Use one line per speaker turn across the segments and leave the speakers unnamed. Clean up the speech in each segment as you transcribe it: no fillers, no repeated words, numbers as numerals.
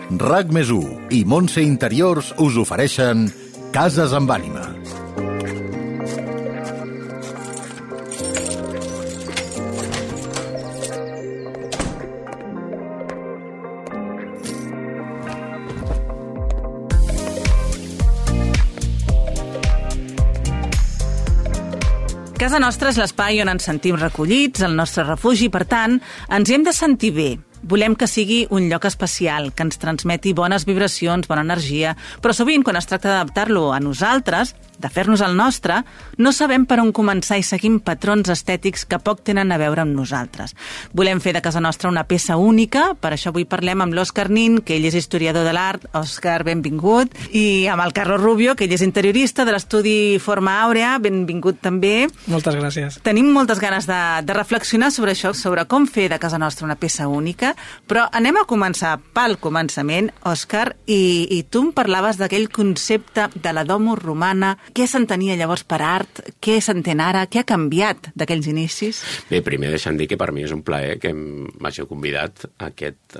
RAC+1 i Montse Interiors us ofereixen Cases amb ànima.
Casa nostra és l'espai on ens sentim recollits, el nostre refugi, per tant, ens hi hem de sentir bé. Volem que sigui un lloc especial, que ens transmeti bones vibracions, bona energia, però sovint, quan es tracta d'adaptar-lo a nosaltres, de fer-nos el nostre, no sabem per on començar i seguim patrons estètics que poc tenen a veure amb nosaltres. Volem fer de casa nostra una peça única, per això avui parlem amb l'Òscar Nin, que ell és historiador de l'art. Òscar, benvingut. I amb el Carlos Rubio, que ell és interiorista de l'estudi Forma Àurea, benvingut també.
Moltes gràcies.
Tenim moltes ganes de reflexionar sobre això, sobre com fer de casa nostra una peça única, però anem a començar pel començament, Òscar, i tu em parlaves d'aquell concepte de la domus romana. Què s'entenia llavors per art? Què s'entén ara? Què ha canviat d'aquells inicis?
Bé, primer deixa'm dir que per mi és un plaer que m'hagi convidat a aquest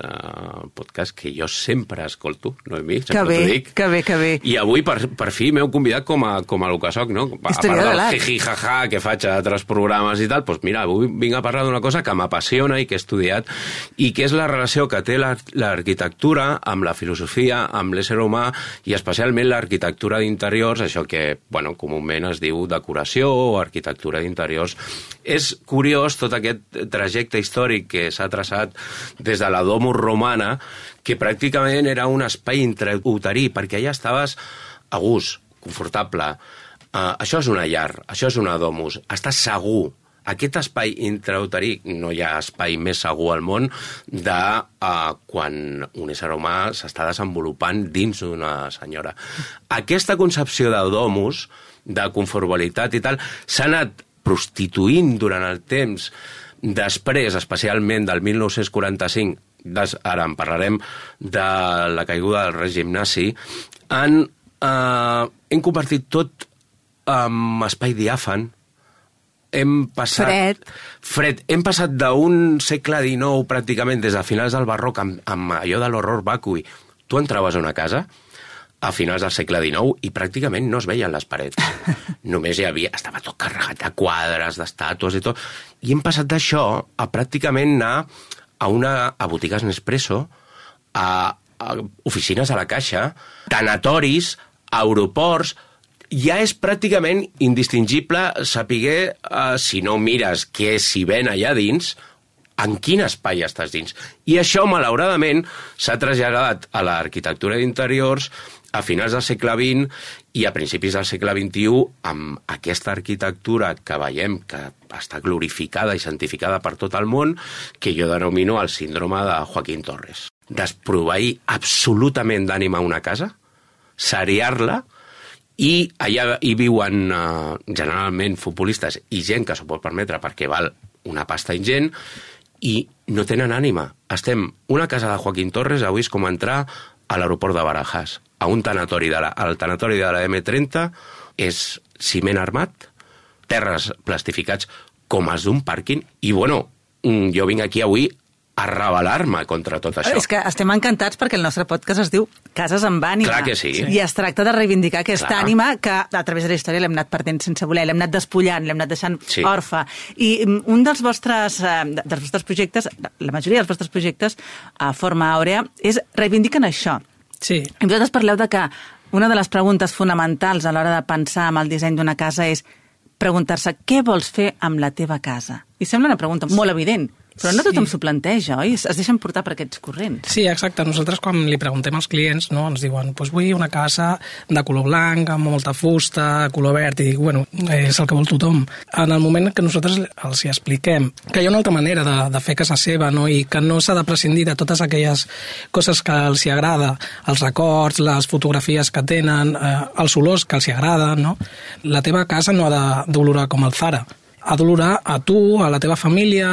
podcast que jo sempre escolto, Noemí, sempre t'ho dic.
Que bé.
I avui, per fi, m'heu convidat com a el que soc, no? A part del jiji-jaja que faig a altres programes i tal, doncs mira, avui vinc a parlar d'una cosa que m'apassiona i que he estudiat i que és la relació que té l'arquitectura amb la filosofia, amb l'ésser humà i especialment l'arquitectura d'interiors, això que comúment es diu decoració o arquitectura d'interiors. És curiós tot aquest trajecte històric que s'ha traçat des de la domus romana, que pràcticament era un espai intrauterí, perquè allà estaves a gust, confortable. Això és una llar, això és una domus, estàs segur. Aquest espai intrauterí, no hi ha espai més segur al món de quan un ésser humà s'està desenvolupant dins d'una senyora. Aquesta concepció de domus, de confortabilitat i tal, s'ha anat prostituint durant el temps després, especialment del 1945, ara en parlarem de la caiguda del règim nazi, hem convertit tot en espai diàfan. Fred. Hem passat d'un segle XIX pràcticament des de finals del barroc amb allò de l'horror vacui. Tu entraves a una casa a finals del segle XIX i pràcticament no es veien les parets. Només estava tot carregat de quadres, d'estàtues i tot. I hem passat d'això a pràcticament anar a botigues Nespresso, a oficines a la Caixa, tanatoris, aeroports. Ja és pràcticament indistingible saber, si no mires què s'hi ven allà dins, en quin espai estàs dins. I això, malauradament, s'ha traslladat a l'arquitectura d'interiors a finals del segle XX i a principis del segle XXI amb aquesta arquitectura que veiem que està glorificada i santificada per tot el món, que jo denomino el síndrome de Joaquín Torres. Desproveir absolutament d'ànima una casa, seriar-la, i allà hi viuen generalment futbolistes i gent que s'ho pot permetre perquè val una pasta ingent i no tenen ànima. Una casa de Joaquín Torres avui és com entrar a l'aeroport de Barajas, a un tanatori al tanatori de la M30 és ciment armat, terres plastificats com els d'un pàrquing i jo vinc aquí avui a rebel·lar-me contra tot això.
És que estem encantats perquè el nostre podcast es diu Cases amb ànima.
Clar que sí.
I es tracta de reivindicar aquesta ànima que a través de la història l'hem anat perdent sense voler, l'hem anat despullant, l'hem anat deixant orfe. I un dels vostres projectes, la majoria dels vostres projectes a Forma Àurea, reivindiquen això.
Sí.
I vosaltres parleu de que una de les preguntes fonamentals a l'hora de pensar en el disseny d'una casa és preguntar-se què vols fer amb la teva casa. I sembla una pregunta molt evident, però no tothom s'ho planteja, oi? Es deixen portar per aquests corrents.
Sí, exacte. Nosaltres, quan li preguntem als clients, ens diuen vull una casa de color blanc, amb molta fusta, color verd, i dic, és el que vol tothom. En el moment que nosaltres els hi expliquem que hi ha una altra manera de fer casa seva, i que no s'ha de prescindir de totes aquelles coses que els hi agrada, els records, les fotografies que tenen, els olors que els hi agraden, la teva casa no ha d'olorar com el Zara. Ha d'olorar a tu, a la teva família,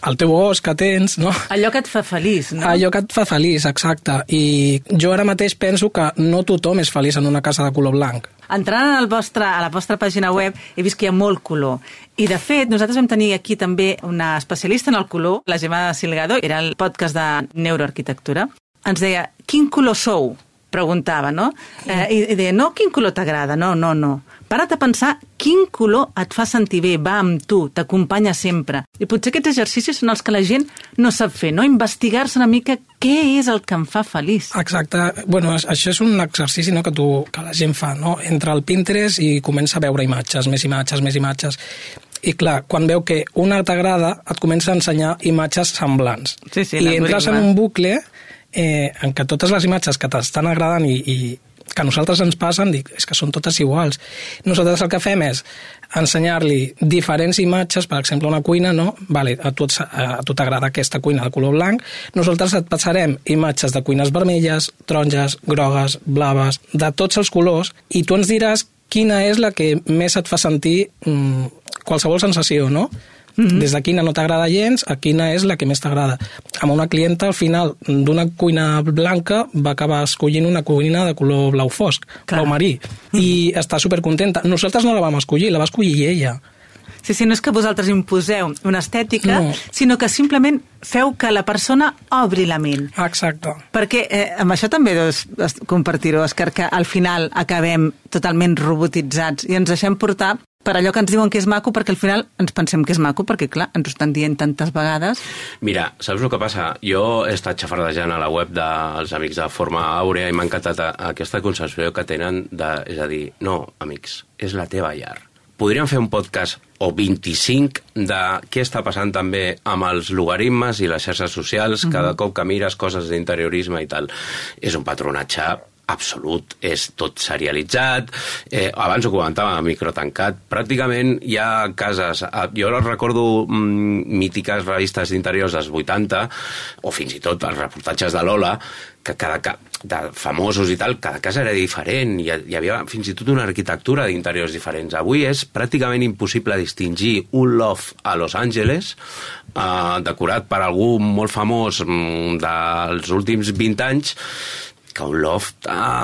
al teu gos que tens, no?
Allò que et fa feliç, no?
Allò que et fa feliç, exacte. I jo ara mateix penso que no tothom és feliç en una casa de color blanc.
Entrant a la vostra pàgina web he vist que hi ha molt color. I, de fet, nosaltres vam tenir aquí també una especialista en el color, la Gemma Silgado, era el podcast de Neuroarquitectura. ens deia, quin color sou? Preguntava, no? I deia, no, quin color t'agrada? No. Para't a pensar quin color et fa sentir bé, va amb tu, t'acompanya sempre. I potser aquests exercicis són els que la gent no sap fer, no? Investigar-se una mica què és el que em fa feliç.
Exacte. Bueno, això és un exercici, no?, que la gent fa, no? Entra al Pinterest i comença a veure imatges, més imatges. I clar, quan veu que una t'agrada, et comença a ensenyar imatges semblants.
Sí,
I entres en un bucle en què totes les imatges que t'estan agradant i que a nosaltres ens passen, dic, és que són totes iguals. Nosaltres el que fem és ensenyar-li diferents imatges, per exemple, una cuina, no? Vale, a tu t'agrada aquesta cuina de color blanc, nosaltres et passarem imatges de cuines vermelles, taronges, grogues, blaves, de tots els colors, i tu ens diràs quina és la que més et fa sentir qualsevol sensació, no? Des de quina no t'agrada gens a quina és la que més t'agrada. Amb una clienta, al final, d'una cuina blanca, va acabar escollint una cuina de color blau fosc, blau marí, i està supercontenta. Nosaltres no la vam escollir, la va escollir ella.
Sí, no és que vosaltres imposeu una estètica, sinó que simplement feu que la persona obri la ment.
Exacte.
Perquè amb això també deus compartir-ho, Òscar, que al final acabem totalment robotitzats i ens deixem portar per allò que ens diuen que és maco, perquè al final ens pensem que és maco, perquè clar, ens ho estan dient tantes vegades.
Mira, saps el que passa? Jo he estat xafardejant a la web dels amics de Forma Àurea i m'ha encantat aquesta concepció que tenen és a dir, no, amics, és la teva llar. Podríem fer un podcast o 25 de què està passant també amb els logaritmes i les xarxes socials, cada cop que mires coses d'interiorisme i tal. És un patronatge absolut, és tot serialitzat, abans ho comentava, microtancat, pràcticament hi ha cases, jo recordo mítiques revistes d'interiors dels 80, o fins i tot els reportatges de Lola, que de famosos i tal, cada casa era diferent, hi havia fins i tot una arquitectura d'interiors diferents. Avui és pràcticament impossible distingir un loft a Los Angeles, decorat per algú molt famós dels últims 20 anys, que un loft a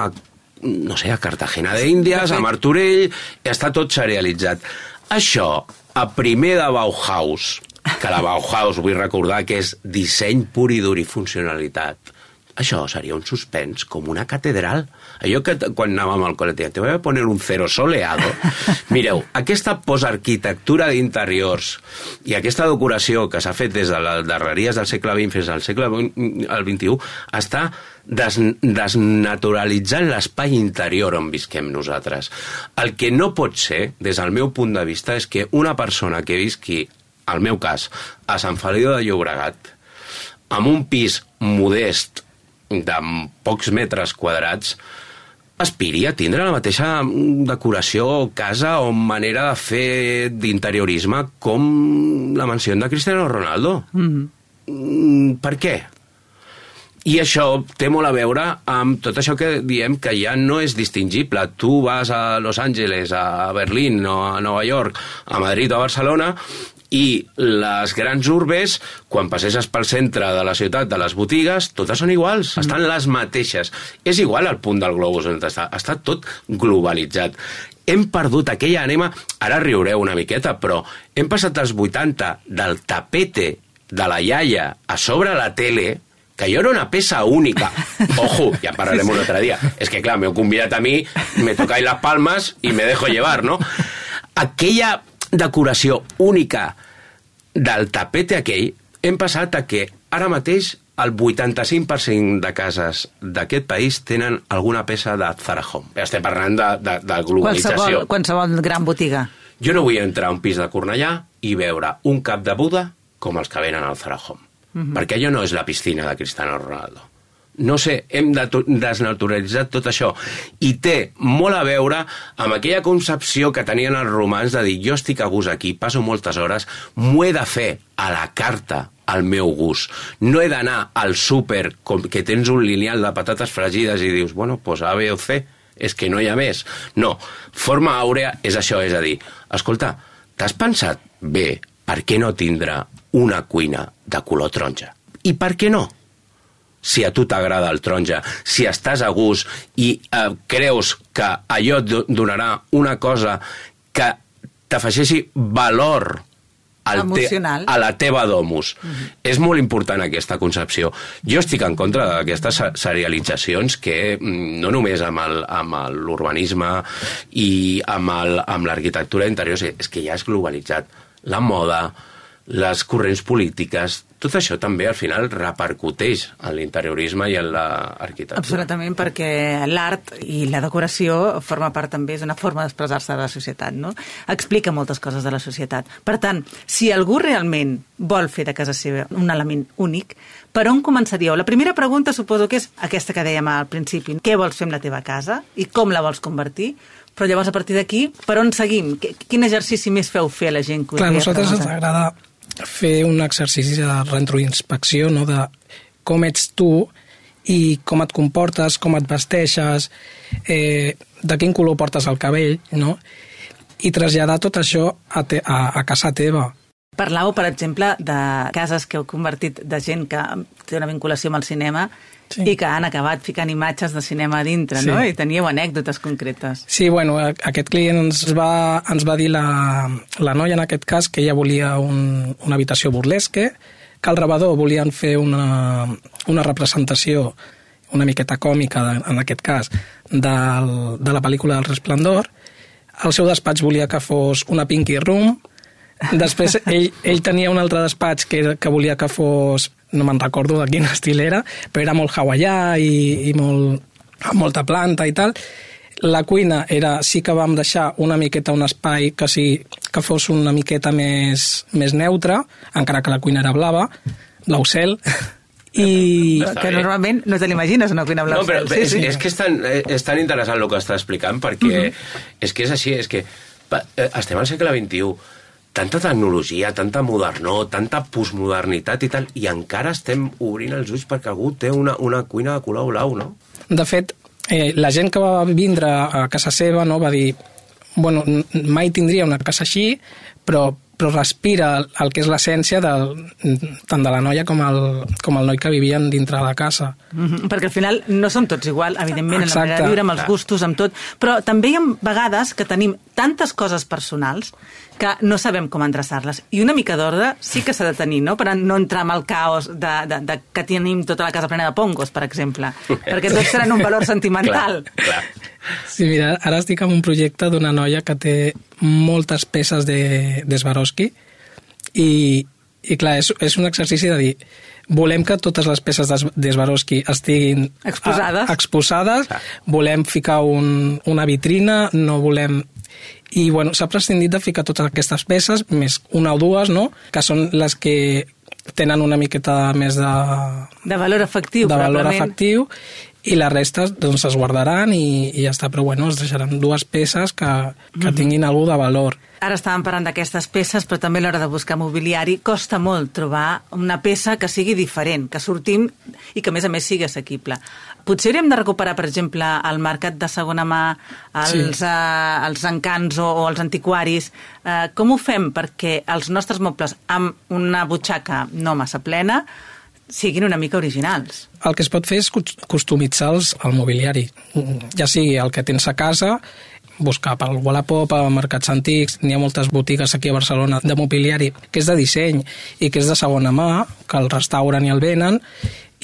Cartagena d'Índies, a Martorell, està tot serialitzat. Això, a primer de Bauhaus, que la Bauhaus vull recordar que és disseny pur i dur i funcionalitat, això seria un suspens com una catedral. Allò que quan anàvem al col·le, te voy a poner un cero soleado. Mireu, aquesta posarquitectura d'interiors i aquesta decoració que s'ha fet des de les darreries del segle XX fins al segle XXI està desnaturalitzant l'espai interior on visquem nosaltres. El que no pot ser, des del meu punt de vista, és que una persona que visqui, al meu cas, a Sant Feliu de Llobregat, amb un pis modest de pocs metres quadrats, aspiri a tindre la mateixa decoració, casa o manera de fer d'interiorisme com la mansió de Cristiano Ronaldo. Per què? I això té molt a veure amb tot això que diem que ja no és distingible. Tu vas a Los Angeles, a Berlín, o a Nova York, a Madrid o a Barcelona, i les grans urbes, quan passeges pel centre de la ciutat, de les botigues, totes són iguals, estan les mateixes. És igual el punt del globus on està tot globalitzat. Hem perdut aquella ànima, ara riureu una miqueta, però hem passat dels 80 del tapete de la iaia a sobre la tele, que jo era una peça única. Ojo, ja parlarem un altre dia. És que, clar, m'heu convidat a mi, me tocáis las palmas i me dejo llevar, no? Aquella decoració única del tapete aquell, hem passat a que ara mateix el 85% de cases d'aquest país tenen alguna peça de Zara Home. Estem parlant de globalització.
Qualsevol gran botiga.
Jo no vull entrar a un pis de Cornellà i veure un cap de Buda com els que venen al Zara Home. Perquè allò no és la piscina de Cristiano Ronaldo. No sé, hem desnaturalitzat tot això. I té molt a veure amb aquella concepció que tenien els romans de dir, jo estic a gust aquí, passo moltes hores, m'ho he de fer a la carta al meu gust. No he d'anar al súper que tens un lineal de patates fregides i dius, bueno, pues A, B o C, és que no hi ha més. No, Forma Àurea és això, és a dir, escolta, t'has pensat bé per què no tindre una cuina de color taronja? I per què no? Si a tu t'agrada el taronja, si estàs a gust i creus que allò et donarà una cosa que t'afegeixi valor
emocional
a la teva domus. És molt important aquesta concepció. Jo estic en contra d'aquestes serialitzacions que no només amb l'urbanisme i amb l'arquitectura interior, és que ja és globalitzat. La moda, les corrents polítiques, tot això també al final repercuteix en l'interiorisme i en l'arquitectura.
Absolutament, perquè l'art i la decoració forma part també, és una forma d'expressar-se de la societat, no? Explica moltes coses de la societat. Per tant, si algú realment vol fer de casa seva un element únic, per on començaríeu? La primera pregunta suposo que és aquesta que dèiem al principi. Què vols fer amb la teva casa i com la vols convertir? Però llavors, a partir d'aquí, per on seguim? Quin exercici més feu fer a la gent que us
Clar, a nosaltres ens
preguntar?
agrada fer un exercici de retroinspecció, no? De com ets tu i com et comportes, com et vesteixes, de quin color portes el cabell, no? I traslladar tot això a casa teva.
Parlàveu, per exemple, de cases que heu convertit de gent que té una vinculació amb el cinema i que han acabat ficant imatges de cinema a dintre, no? I teníeu anècdotes concretes.
Sí, bueno, aquest client ens va dir la noia, en aquest cas, que ella volia una habitació burlesque, que al rebedor volien fer una representació una miqueta còmica, en aquest cas, de la pel·lícula del Resplendor. El seu despatx volia que fos una Pinky Room. Després ell tenia un altre despatx que volia que fos, no me'n recordo de quin estil era, però era molt hawaià i amb molta planta i tal. La cuina sí que vam deixar una miqueta un espai que fos una miqueta més neutre, encara que la cuina era blava, blau cel. I
que normalment no te l'imagines una cuina blau cel.
No, però és que és tan interessant el que està explicant, perquè és que és així, és que estem al segle XXI, tanta tecnologia, tanta modernor, tanta postmodernitat i tal, i encara estem obrint els ulls perquè algú té una cuina de color blau, no?
De fet, la gent que va vindre a casa seva, no, va dir, bueno, mai tindria una casa així, però respira el que és l'essència tant de la noia com el noi que vivien dintre de la casa.
Perquè al final no som tots igual, evidentment, en la manera de viure, amb els gustos, amb tot, però també hi ha vegades que tenim tantes coses personals que no sabem com endreçar-les. I una mica d'ordre sí que s'ha de tenir, no?, per no entrar en el caos de que tenim tota la casa plena de pongos, per exemple, perquè tots tenen un valor sentimental.
Clar.
Sí, mira, ara estic en un projecte d'una noia que té moltes peces de Swarovski i clar, és un exercici de dir, volem que totes les peces de Swarovski estiguin exposades, volem ficar una vitrina, no volem... I bueno, s'ha prescindit de ficar totes aquestes peces, més una o dues, no?, que són les que tenen una miqueta més
de valor afectiu,
de valor afectiu, i la resta doncs es guardaran i ja està, però bueno, es deixaran dues peces que tinguin alguna de valor.
Ara estàvem parlant d'aquestes peces, però també a l'hora de buscar mobiliari costa molt trobar una peça que sigui diferent, que sortim i que a més sigui assequible. Potser hauríem de recuperar, per exemple, al mercat de segona mà, els encants o els antiquaris. Com ho fem perquè els nostres mobles amb una butxaca no massa plena siguin una mica originals?
El que es pot fer és customitzar el mobiliari, ja sigui el que tens a casa, buscar pel Wallapop, a mercats antics. N'hi ha moltes botigues aquí a Barcelona de mobiliari que és de disseny i que és de segona mà, que el restauren i el venen,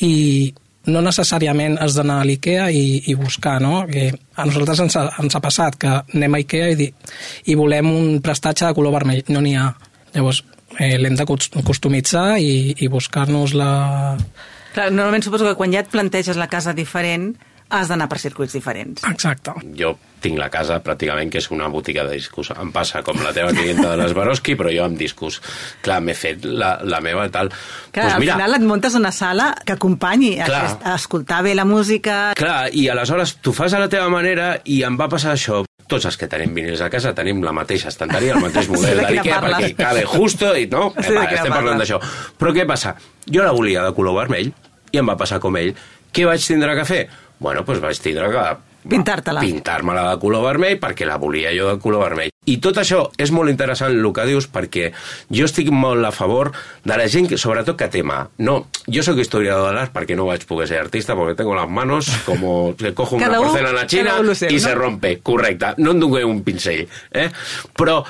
i no necessàriament has d'anar a l'IKEA i buscar, no? Que a nosaltres ens ha passat que anem a IKEA i volem un prestatge de color vermell. No n'hi ha. Llavors, l'hem de customitzar i buscar-nos la...
Clar, normalment suposo que quan ja et planteges la casa diferent has d'anar per circuits diferents.
Exacte.
Jo tinc la casa pràcticament que és una botiga de discos. Em passa com la teva clienta de les Swarovski, però jo amb discos. Clar, m'he fet la meva tal...
Clar, pues mira, al final et muntes una sala que acompanyi a escoltar bé la música...
Clar, i aleshores tu fas a la teva manera i em va passar això. Tots els que tenim vinils a casa tenim la mateixa estanteria, el mateix model de l'IKEA, perquè cabe justo i no, estem parlant d'això. Però què passa? Jo la volia de color vermell i em va passar com ell. Què vaig tindre que fer? Bueno, doncs vaig tindre que pintar-me-la de color vermell perquè la volia jo de color vermell. I tot això és molt interessant el que dius, perquè jo estic molt a favor de la gent, sobretot que té mà. No, jo soc historiador de l'art perquè no vaig poder ser artista, perquè tengo las manos como que cojo una porcelana china y se rompe. Correcte, no em dongué un pincell. Però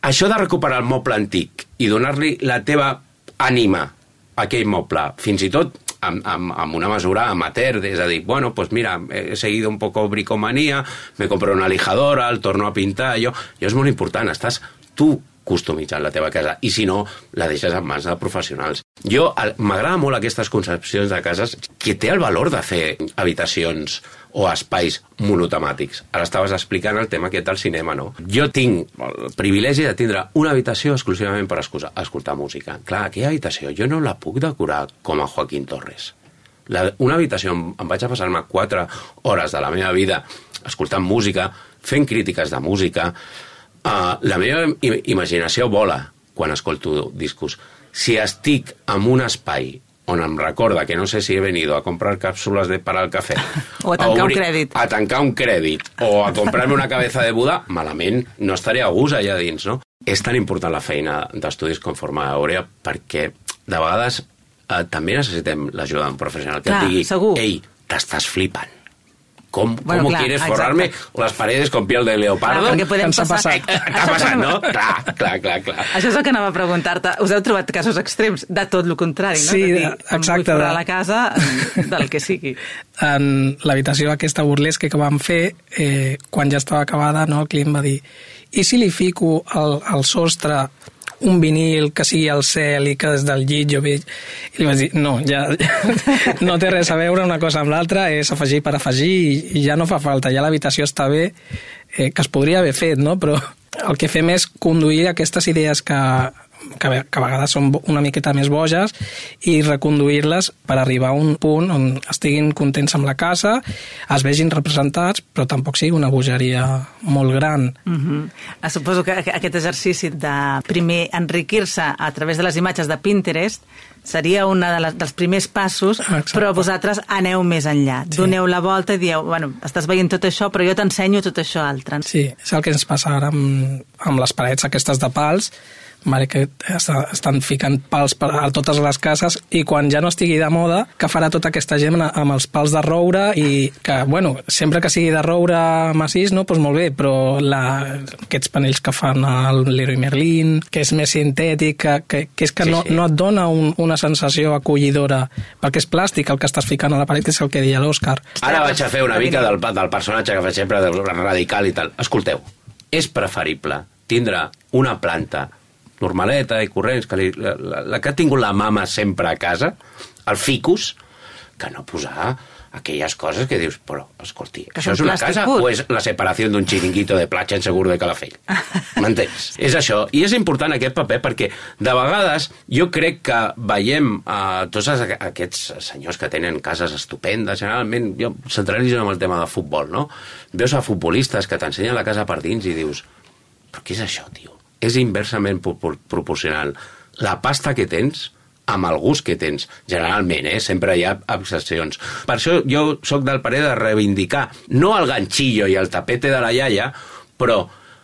això de recuperar el moble antic i donar-li la teva ànima a aquell moble, fins i tot amb una mesura amateur, és a dir, bueno, pues mira, he seguido un poco bricomanía, me compro una lijadora, el torno a pintar, allò és molt important, estàs tu customitzant la teva casa, i si no, la deixes en mans de professionals. M'agrada molt aquestes concepcions de cases que té el valor de fer habitacions o espais monotemàtics. Ara estaves explicant el tema aquest del cinema, no? Jo tinc el privilegi de tindre una habitació exclusivament per escoltar música. Clar, aquella habitació jo no la puc decorar com a Joaquín Torres. Una habitació em vaig a passar-me 4 hores de la meva vida escoltant música, fent crítiques de música. La meva imaginació vola quan escolto discos. Si estic en un espai on em recorda que no sé si he venido a comprar cápsulas para el café
o a tancar un crèdit.
A tancar un crèdit o a comprarme una cabeza de Buda, malament no estaré a gust allà dins, no? És tan important la feina d'estudis com Forma Àurea perquè de vegades també necessitem l'ajuda d'un professional que et digui,
segur.
Ei, t'estàs flipant. ¿Cómo quieres forrarme las paredes con piel de leopardo?
Clar, podem passar.
T'ha passat, no? Clar.
Això és el que anava a preguntar-te. Us heu trobat casos extrems de tot el contrari, no?
Sí,
exacte. Vull forrar la casa del que sigui.
En l'habitació aquesta burlesca que vam fer, quan ja estava acabada, no, el client va dir, i si li fico al sostre un vinil que sigui al cel i que des del llit jo veig... I li vaig dir, no, ja no té res a veure una cosa amb l'altra, és afegir per afegir i ja no fa falta, ja l'habitació està bé, que es podria haver fet, no? Però el que fem és conduir aquestes idees que a vegades són una miqueta més boges i reconduir-les per arribar a un punt on estiguin contents amb la casa, es vegin representats, però tampoc sigui una bogeria molt gran.
Suposo que aquest exercici de primer enriquir-se a través de les imatges de Pinterest seria un dels primers passos. Exacte. Però vosaltres aneu més enllà. Sí. Doneu la volta i dieu, bueno, estàs veient tot això, però jo t'ensenyo tot això altre.
Sí, és el que ens passa ara amb les parets aquestes de pals, que estan ficant pals a totes les cases i quan ja no estigui de moda, que farà tota aquesta gent amb els pals de roure i que, bueno, sempre que sigui de roure massís, no, doncs molt bé, però aquests panells que fan el Leroy Merlin, que és més sintètic, que és que no et dona una sensació acollidora, perquè és plàstic el que estàs ficant a la paret, és el que deia l'Òscar.
Ara vaig a fer una mica del personatge que faig sempre, del radical i tal. Escolteu, és preferible tindre una planta normaleta i corrents, la que ha tingut la mama sempre a casa, el ficus, que no posar aquelles coses que dius, però, escolti, això és una casa o és la separació d'un xiringuito de platja en Segur de Calafell? M'entens? És això. I és important aquest paper perquè, de vegades, jo crec que veiem tots aquests senyors que tenen cases estupendes, generalment, jo centralitzo en el tema de futbol, no? Veus a futbolistes que t'ensenyen la casa per dins i dius, però què és això, tio? És inversament proporcional la pasta que tens amb el gust que tens. Generalment, sempre hi ha excepcions. Per això jo sóc del parer de reivindicar no el ganchillo i el tapete de la iaia, però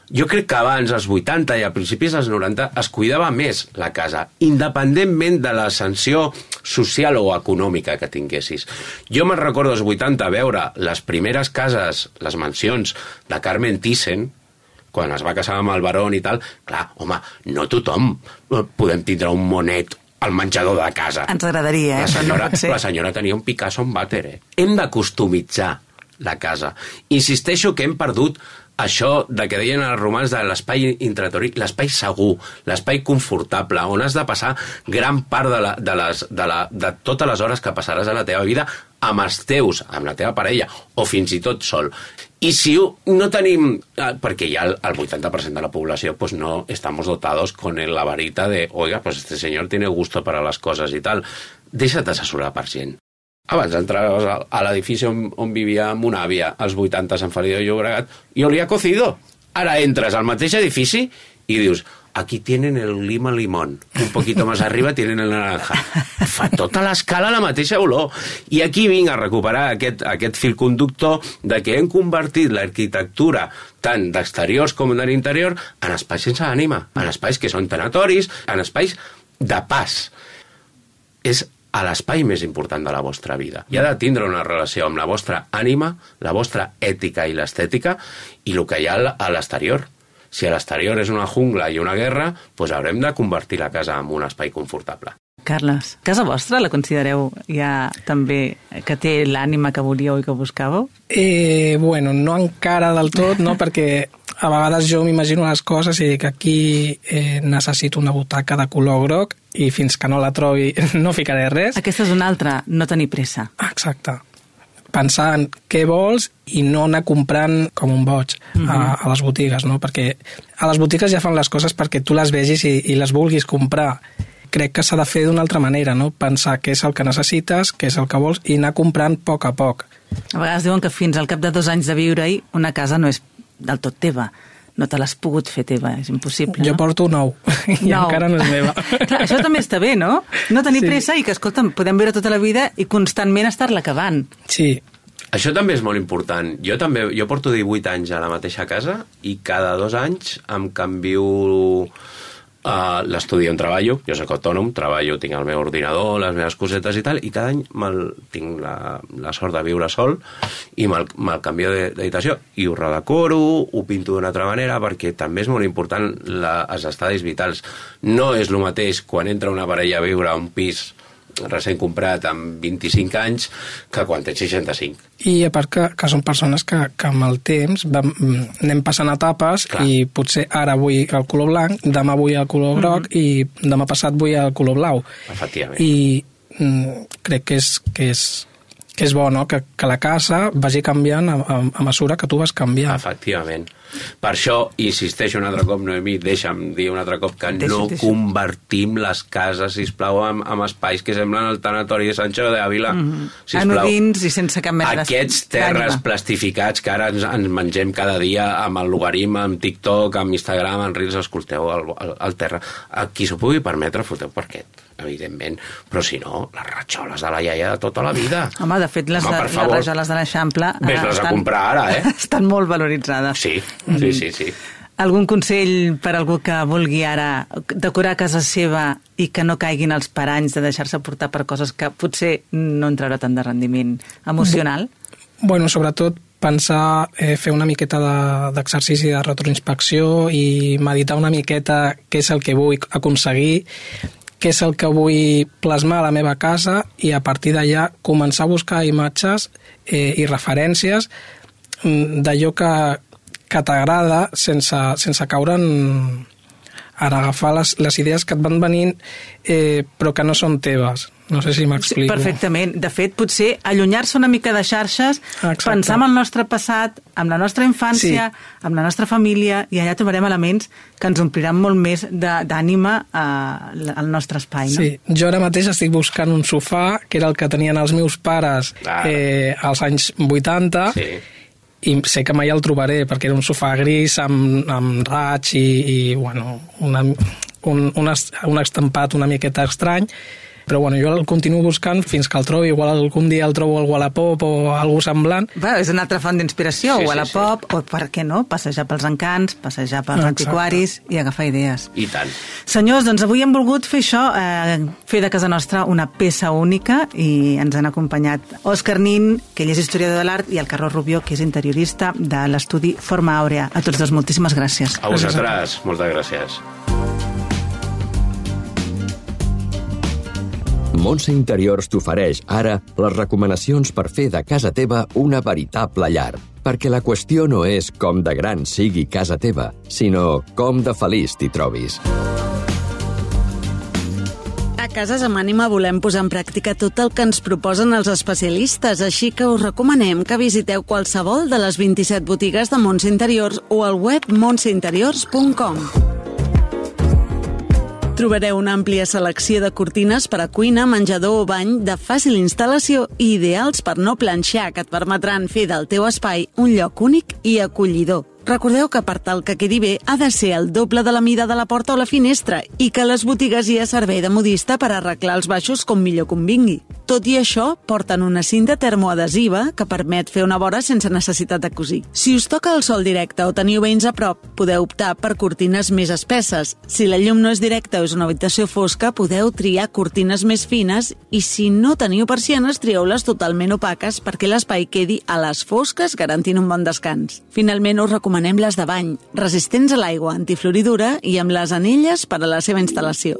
jo crec que abans, als 80 i a principis dels 90, es cuidava més la casa, independentment de l'ascensió social o econòmica que tinguessis. Jo me'n recordo als 80 veure les primeres cases, les mansions de Carmen Thyssen, quan es va casar amb el Barón i tal, clar, home, no tothom podem tindre un monet al menjador de casa.
Ens agradaria,
La senyora tenia un Picasso en vàter, Hem de customitzar la casa. Insisteixo que hem perdut això de que deien els romans de l'espai intratori, l'espai segur, l'espai confortable, on has de passar gran part de totes les hores que passaràs a la teva vida amb els teus, amb la teva parella, o fins i tot sol. I si no tenim, perquè ja el 80% de la població pues no estamos dotados con la varita de, oiga, pues este señor tiene gusto para las cosas y tal, deixa't assessorar per gent. Abans entraves a l'edifici on vivia mon àvia, als 80 a Sant Feliu de Llobregat, i olía cocido. Ara entres al mateix edifici i dius, aquí tienen el lima limón, un poquito más arriba tienen el naranja. Fa tota l'escala la mateixa olor. I aquí vinc a recuperar aquest fil conductor de que hem convertit l'arquitectura tant d'exteriors com de l'interior en espais sense ànima, en espais que són tanatoris, en espais de pas. És a l'espai més important de la vostra vida. I ha de tindre una relació amb la vostra ànima, la vostra ètica i l'estètica i el que hi ha a l'exterior. Si a l'exterior és una jungla i una guerra, doncs haurem de convertir la casa en un espai confortable.
Carles, casa vostra la considereu ja també que té l'ànima que volíeu i que buscàveu?
Bueno, no encara del tot, no? Perquè a vegades jo m'imagino les coses i dic aquí necessito una butaca de color groc i fins que no la trobi no ficaré res.
Aquesta és una altra, no tenir pressa.
Exacte. Pensar en què vols i no anar comprant com un boig a les botigues, no? Perquè a les botigues ja fan les coses perquè tu les vegis i les vulguis comprar. Crec que s'ha de fer d'una altra manera, no? Pensar què és el que necessites, què és el que vols i anar comprant a poc a poc.
A vegades diuen que fins al cap de 2 anys de viure-hi una casa no és del tot teva. No te l'has pogut fer teva, és impossible,
Jo porto 9 i encara no és meva.
Clar, això també està bé, no? No tenir pressa i que, escolta'm, podem viure tota la vida i constantment estar-la acabant.
Sí.
Això també és molt important. Jo porto 18 anys a la mateixa casa i cada 2 anys em canvio l'estudi on treballo. Jo soc autònom, treballo, tinc el meu ordinador, les meves cosetes i tal, i cada any tinc la sort de viure sol i me'l canvio d'habitació i ho redecoro, ho pinto d'una altra manera, perquè també és molt important els estadis vitals. No és el mateix quan entra una parella a viure a un pis recent comprat amb 25 anys que quan tens 65.
I a part que són persones que amb el temps anem passant etapes. Clar. I potser ara vull el color blanc, demà vull el color groc i demà passat vull el color blau.
Efectivament.
I crec que és bo, no? Que la casa vagi canviant a mesura que tu vas canviant.
Efectivament. Per això, insisteixo un altre cop, Noemí, deixa'm dir un altre cop que no convertim les cases, sisplau, en espais que semblen el tanatori de Sancho de Ávila.
Anodins i sense cap mena
Aquests terres plastificats que ara ens mengem cada dia amb el logaritme, amb TikTok, amb Instagram, amb Reels, escolteu el terra. A qui s'ho pugui permetre, foteu parquet, evidentment, però si no, les ratxoles de la iaia de tota la vida.
Home, de fet, les ratxoles de l'Eixample
ves-les a comprar ara,
estan molt valoritzades.
Sí.
Algun consell per algú que vulgui ara decorar casa seva i que no caiguin els paranys de deixar-se portar per coses que potser no en traurà tant de rendiment emocional?
Bueno, sobretot pensar, fer una miqueta d'exercici de retroinspecció i meditar una miqueta què és el que vull aconseguir, què és el que vull plasmar a la meva casa i a partir d'allà començar a buscar imatges i referències d'allò que t'agrada sense caure en agafar les idees que et van venint però que no són teves. No sé si m'explico.
Sí, perfectament. De fet, potser allunyar-se una mica de xarxes, pensar en el nostre passat, amb la nostra infància, amb la nostra família, i allà trobarem elements que ens ompliran molt més d'ànima al nostre espai. No?
Sí, jo ara mateix estic buscant un sofà, que era el que tenien els meus pares als anys 80, i sé que mai el trobaré, perquè era un sofà gris amb raig i bueno, un estampat una miqueta estrany, però bueno, jo el continuo buscant fins que el trobi. Igual algun dia el trobo al Wallapop o algú semblant.
És una altra font d'inspiració, Wallapop, o per què no, passejar pels encants, passejar pels antiquaris i agafar idees.
I tant.
Senyors, doncs avui hem volgut fer això, fer de casa nostra una peça única, i ens han acompanyat Òscar Nin, que ell és historiador de l'art, i el Carlos Rubió, que és interiorista de l'estudi Forma Àurea. A tots dos, moltíssimes gràcies.
A vosaltres, moltes gràcies.
Montse Interiors t'ofereix ara les recomanacions per fer de casa teva una veritable llar. Perquè la qüestió no és com de gran sigui casa teva, sinó com de feliç t'hi trobis.
A Cases amb Ànima volem posar en pràctica tot el que ens proposen els especialistes, així que us recomanem que visiteu qualsevol de les 27 botigues de Montse Interiors o al web montseinteriors.com. Trobareu una àmplia selecció de cortines per a cuina, menjador o bany de fàcil instal·lació i ideals per no planxar, que et permetran fer del teu espai un lloc únic i acollidor. Recordeu que per tal que quedi bé ha de ser el doble de la mida de la porta o la finestra i que a les botigues hi ha servei de modista per arreglar els baixos com millor convingui. Tot i això, porten una cinta termoadhesiva que permet fer una vora sense necessitat de cosir. Si us toca el sol directe o teniu veïns a prop, podeu optar per cortines més espesses. Si la llum no és directa o és una habitació fosca, podeu triar cortines més fines i si no teniu persianes, trieu-les totalment opaques perquè l'espai quedi a les fosques garantint un bon descans. Finalment, us recomanem recomanem les de bany, resistents a l'aigua, antifloridura i amb les anelles per a la seva instal·lació.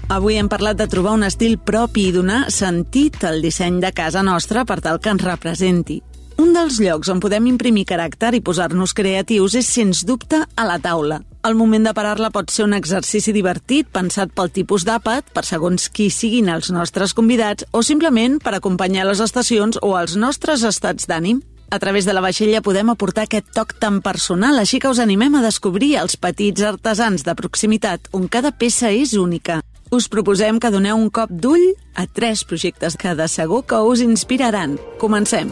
Avui hem parlat de trobar un estil propi i donar sentit al disseny de casa nostra per tal que ens representi. Un dels llocs on podem imprimir caràcter i posar-nos creatius és, sens dubte, a la taula. El moment de parar-la pot ser un exercici divertit, pensat pel tipus d'àpat, per segons qui siguin els nostres convidats, o simplement per acompanyar les estacions o els nostres estats d'ànim. A través de la vaixella podem aportar aquest toc tan personal, així que us animem a descobrir els petits artesans de proximitat on cada peça és única. Us proposem que doneu un cop d'ull a 3 projectes que de segur que us inspiraran. Comencem!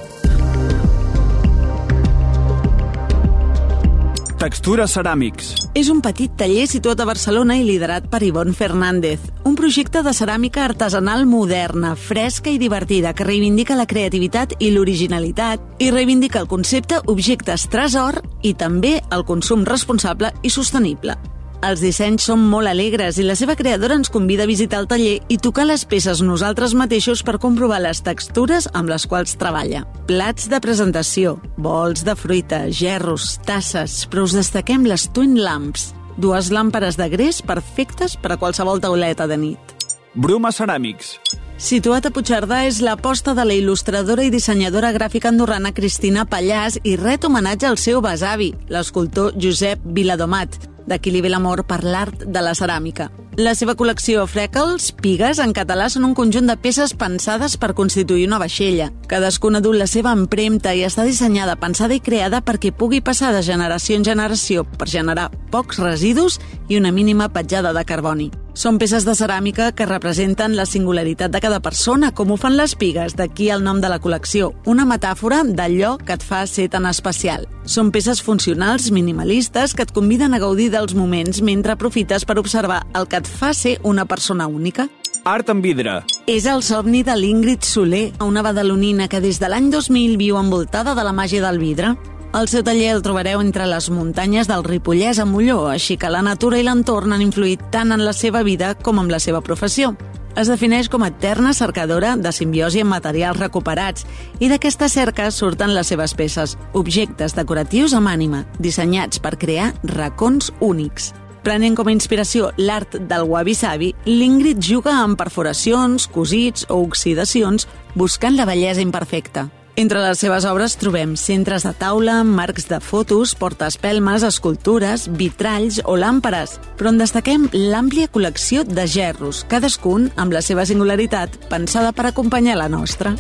Textura Ceràmics.
És un petit taller situat a Barcelona i liderat per Ivonne Fernández. Un projecte de ceràmica artesanal moderna, fresca i divertida que reivindica la creativitat i l'originalitat i reivindica el concepte objectes tresor i també el consum responsable i sostenible. Els dissenys són molt alegres i la seva creadora ens convida a visitar el taller i tocar les peces nosaltres mateixos per comprovar les textures amb les quals treballa. Plats de presentació, bols de fruita, gerros, tasses, però us destaquem les Twin Lamps, 2 làmperes de gres perfectes per a qualsevol tauleta de nit.
Bruma Ceràmics.
Situat a Puigcerdà, és l'aposta de la il·lustradora i dissenyadora gràfica andorrana Cristina Pallàs i ret homenatge al seu besavi, l'escultor Josep Viladomat, d'aquí li ve l'amor per l'art de la ceràmica. La seva col·lecció Freckles, pigues, en català, són un conjunt de peces pensades per constituir una vaixella. Cadascuna du la seva empremta i està dissenyada, pensada i creada perquè pugui passar de generació en generació per generar pocs residus i una mínima petjada de carboni. Són peces de ceràmica que representen la singularitat de cada persona, com ho fan les pigues, d'aquí el nom de la col·lecció, una metàfora d'allò que et fa ser tan especial. Són peces funcionals, minimalistes, que et conviden a gaudir dels moments mentre aprofites per observar el que et fa ser una persona única.
Art en vidre.
És el somni de l'Ingrid Soler, una badalonina que des de l'any 2000 viu envoltada de la màgia del vidre. El seu taller el trobareu entre les muntanyes del Ripollès a Molló, així que la natura i l'entorn han influït tant en la seva vida com en la seva professió. Es defineix com a eterna cercadora de simbiosi amb materials recuperats i d'aquesta cerca surten les seves peces, objectes decoratius amb ànima, dissenyats per crear racons únics. Prenent com a inspiració l'art del wabi-sabi, l'Ingrid juga amb perforacions, cosits o oxidacions, buscant la bellesa imperfecta. Entre les seves obres trobem centres de taula, marcs de fotos, portaespelmes, escultures, vitralls o làmperes, però en destaquem l'àmplia col·lecció de gerros, cadascun amb la seva singularitat, pensada per acompanyar la nostra.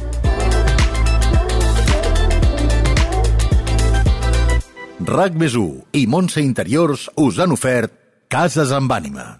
RAC+1 i Montse Interiors us han ofert Cases amb ànima.